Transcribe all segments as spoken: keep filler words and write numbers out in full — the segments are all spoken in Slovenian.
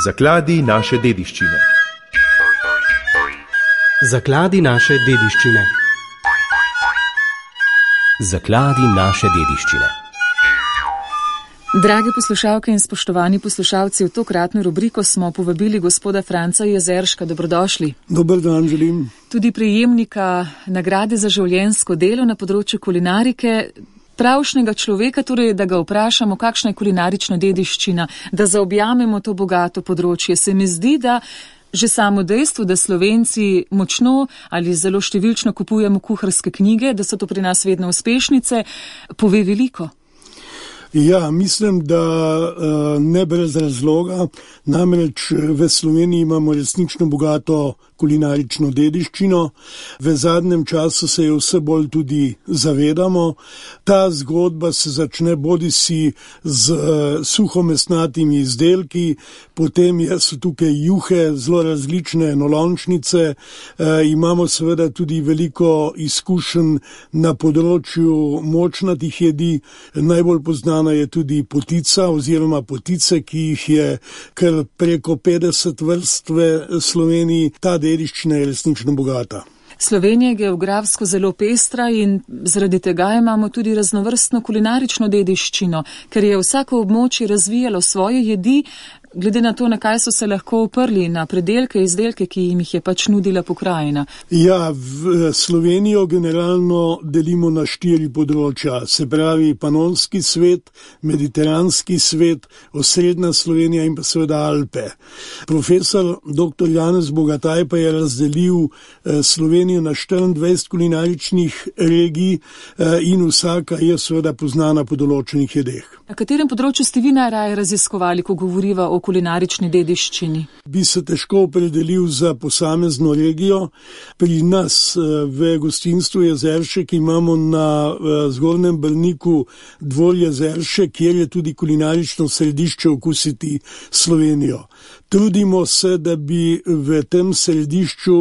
Zakladi naše dediščine. Zakladi naše dediščine. Zakladi naše dediščine. Drage poslušalke in spoštovani poslušalci, v tokratno rubriko smo povabili gospoda Franca Jezerška. Dobrodošli. Dober dan želim. Tudi prejemnika nagrade za življenjsko delo na področju kulinarike, pravšnega človeka, torej da ga vprašamo, kakšna je kulinarična dediščina, da zaobjamemo to bogato področje. Se mi zdi, da že samo dejstvo, da Slovenci močno ali zelo številčno kupujemo kuharske knjige, da so to pri nas vedno uspešnice, pove veliko. Ja, mislim, da ne brez razloga, namreč v Sloveniji imamo resnično bogato kulinarično dediščino. V zadnjem času se jo vse bolj tudi zavedamo. Ta zgodba se začne bodisi z suhomesnatimi izdelki, potem so tukaj juhe, zelo različne enolončnice, e, imamo seveda tudi veliko izkušenj na področju močnatih jedi. Najbolj poznana je tudi potica oziroma potice, ki jih je kar preko petdeset vrst v Sloveniji. Ta dediščina je resnično bogata. Slovenija je geografsko zelo pestra in zaradi tega imamo tudi raznovrstno kulinarično dediščino, ker je vsako območje razvijalo svoje jedi, glede na to, na kaj so se lahko oprli, na predelke, izdelke, ki jim jih je pač nudila pokrajina. Ja, v Slovenijo generalno delimo na štiri področja, se pravi panonski svet, mediteranski svet, osrednja Slovenija in pa seveda Alpe. Profesor doktor Janez Bogataj pa je razdelil Slovenijo na štiriindvajset kulinaričnih regij in vsaka je seveda poznana po določenih jedeh. Na katerem področju ste vi najraje raziskovali, ko govoriva o kulinarični dediščini? Bi se težko opredelil za posamezno regijo. Pri nas v gostinstvu Jezeršek imamo na Zgornjem Brniku Dvor Jezeršek, kjer je tudi kulinarično središče Okusiti Slovenijo. Trudimo se, da bi v tem središču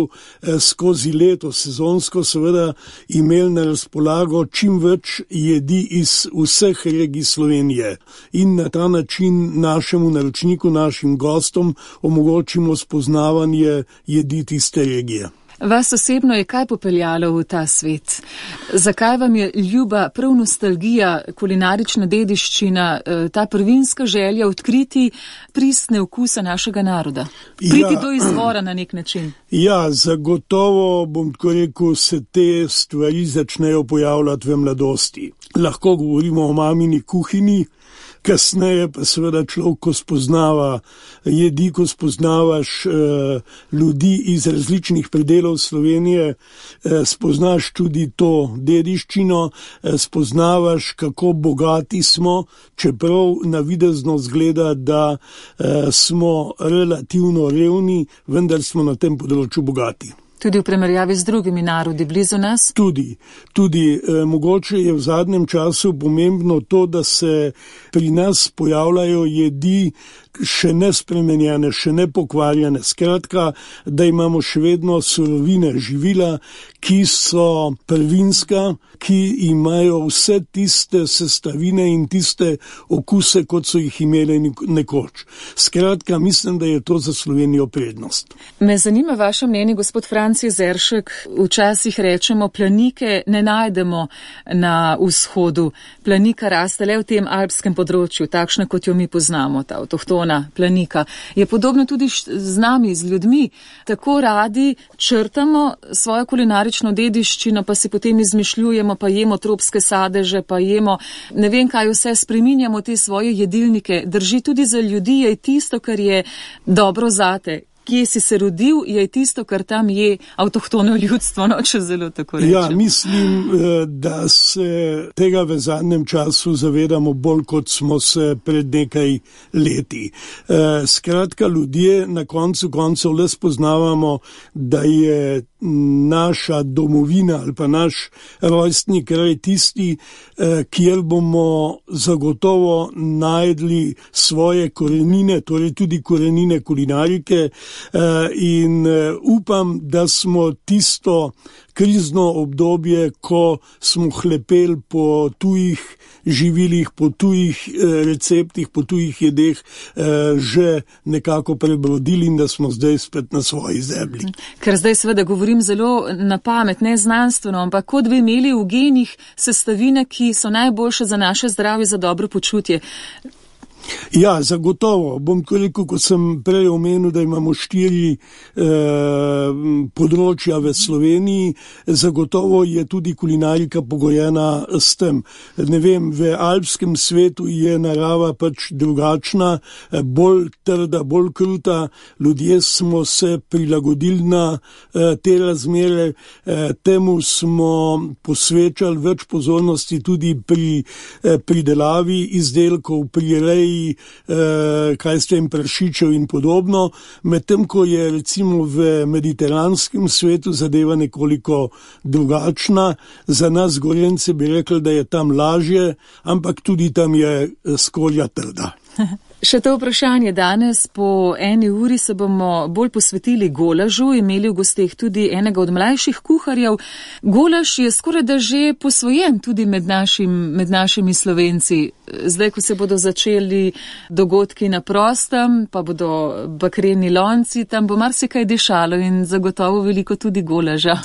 skozi leto, sezonsko seveda, imeli na razpolago čim več jedi iz vseh regij Slovenije in na ta način našemu naročniku, našim gostom omogočimo spoznavanje jedi tiste regije. Vas osebno je kaj popeljalo v ta svet? Zakaj vam je ljuba prav nostalgija, kulinarična dediščina, ta prvinska želja odkriti pristne okuse našega naroda? Priti ja, do izvora na nek način. Ja, zagotovo, bom tako rekel, se te stvari začnejo pojavljati v mladosti. Lahko govorimo o mamini kuhinji, kasneje pa seveda človek, ko spoznava jedi, ko spoznavaš eh, ljudi iz različnih predelov Slovenije, eh, spoznaš tudi to dediščino, eh, spoznavaš, kako bogati smo, čeprav navidezno zgleda, da eh, smo relativno revni, vendar smo na tem področju bogati. Tudi v primerjavi z drugimi narodi blizu nas? Tudi, tudi eh, mogoče je v zadnjem času pomembno to, da se pri nas pojavljajo jedi še nespremenjene, še nepokvarjene. Skratka, da imamo še vedno surovine, živila, ki so prvinska, ki imajo vse tiste sestavine in tiste okuse, kot so jih imeli nekoč. Skratka, mislim, da je to za Slovenijo prednost. Me zanima vaše mnenje, gospod Franc Jezeršek. Včasih rečemo, planike ne najdemo na vzhodu. Planika raste le v tem alpskem področju, takšna, kot jo mi poznamo, ta avtohtona planika. Je podobno tudi z nami, z ljudmi. Tako radi črtamo svojo kulinarično dediščino, pa si potem izmišljujemo, pa jemo tropske sadeže, pa jemo ne vem kaj vse, spreminjamo te svoje jedilnike. Drži tudi za ljudi, je tisto, kar je dobro zate. Kje si se rodil, je tisto, kar tam je avtohtono ljudstvo, no, če zelo tako rečem. Ja, mislim, da se tega v zadnjem času zavedamo bolj, kot smo se pred nekaj leti. Skratka, ljudje na koncu koncev le spoznavamo, da je naša domovina ali pa naš rojstni kraj tisti, kjer bomo zagotovo najdli svoje korenine, torej tudi korenine kulinarike, in upam, da smo tisto krizno obdobje, ko smo hlepeli po tujih živilih, po tujih receptih, po tujih jedeh že nekako prebrodili in da smo zdaj spet na svoji zemlji. Ker zdaj seveda govorim zelo na pamet, ne znanstveno, ampak kot bi imeli v genih sestavine, ki so najboljše za naše zdravje, za dobro počutje. Ja, zagotovo. Bom koliko, ko sem prej omenil, da imamo štiri eh, področja v Sloveniji, zagotovo je tudi kulinarika pogojena s tem. Ne vem, v alpskem svetu je narava pač drugačna, bolj trda, bolj kruta. Ljudje smo se prilagodili na eh, te razmere, eh, temu smo posvečali več pozornosti tudi pri eh, pridelavi izdelkov, pri reji, kaj s tem prašičev in podobno, medtem ko je recimo v mediteranskem svetu zadeva nekoliko drugačna. Za nas Gorence bi rekli, da je tam lažje, ampak tudi tam je skorja trda. Še to vprašanje danes, po eni uri se bomo bolj posvetili golažu, imeli v gosteh tudi enega od mlajših kuharjev. Golaž je skoraj da že posvojen tudi med, našim, med našimi Slovenci. Zdaj, ko se bodo začeli dogodki na prostem, pa bodo bakreni lonci, tam bo marsikaj dišalo in zagotovo veliko tudi golaža.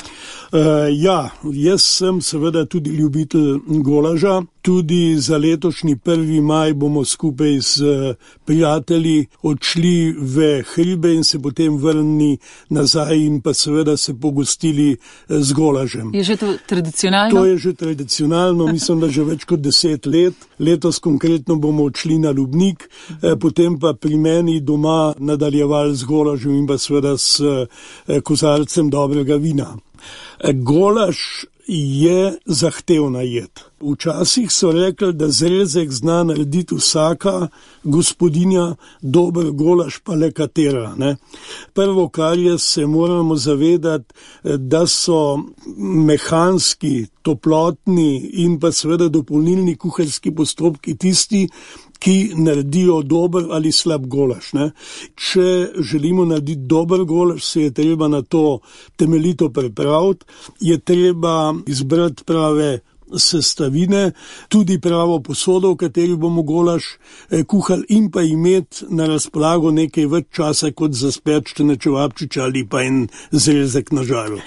Uh, ja, jaz sem seveda tudi ljubitelj golaža. Tudi za letošnji prvi maj bomo skupaj z prijatelji odšli v hribe in se potem vrnili nazaj in pa seveda se pogostili z golažem. Je že to tradicionalno? To je že tradicionalno, mislim, da že več kot deset let. Letos konkretno bomo odšli na Lubnik, potem pa pri meni doma nadaljevali z golažem in pa seveda s kozarcem dobrega vina. Golaž je zahtevna jed. Včasih so rekli, da zrezek zna narediti vsaka gospodinja, dober golaž pa le katera. Ne? Prvo, kar je, se moramo zavedati, da so mehanski, toplotni in pa seveda dopolnilni kuharski postopki tisti, ki naredijo dober ali slab golaž. Ne? Če želimo narediti dober golaž, se je treba na to temeljito pripraviti, je treba izbrati prave sestavine, tudi pravo posodo, v kateri bomo golaž eh, kuhali in pa imeti na razpolago nekaj več časa kot za spečene čevapčiče ali pa en zrezek na žaru.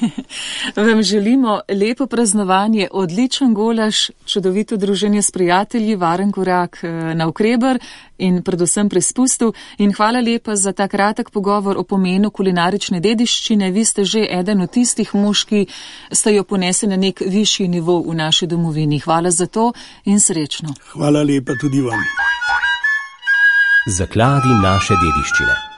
Vam želimo lepo praznovanje, odličen golaž, čudovito druženje s prijatelji, varen korak na Ukreber in predvsem pri spustu. In hvala lepa za ta kratek pogovor o pomenu kulinarične dediščine. Vi ste že eden od tistih mož, ki ste jo ponesli na nek višji nivo v naši domovini. Hvala za to in srečno. Hvala lepa tudi vam. Zakladi naše dediščine.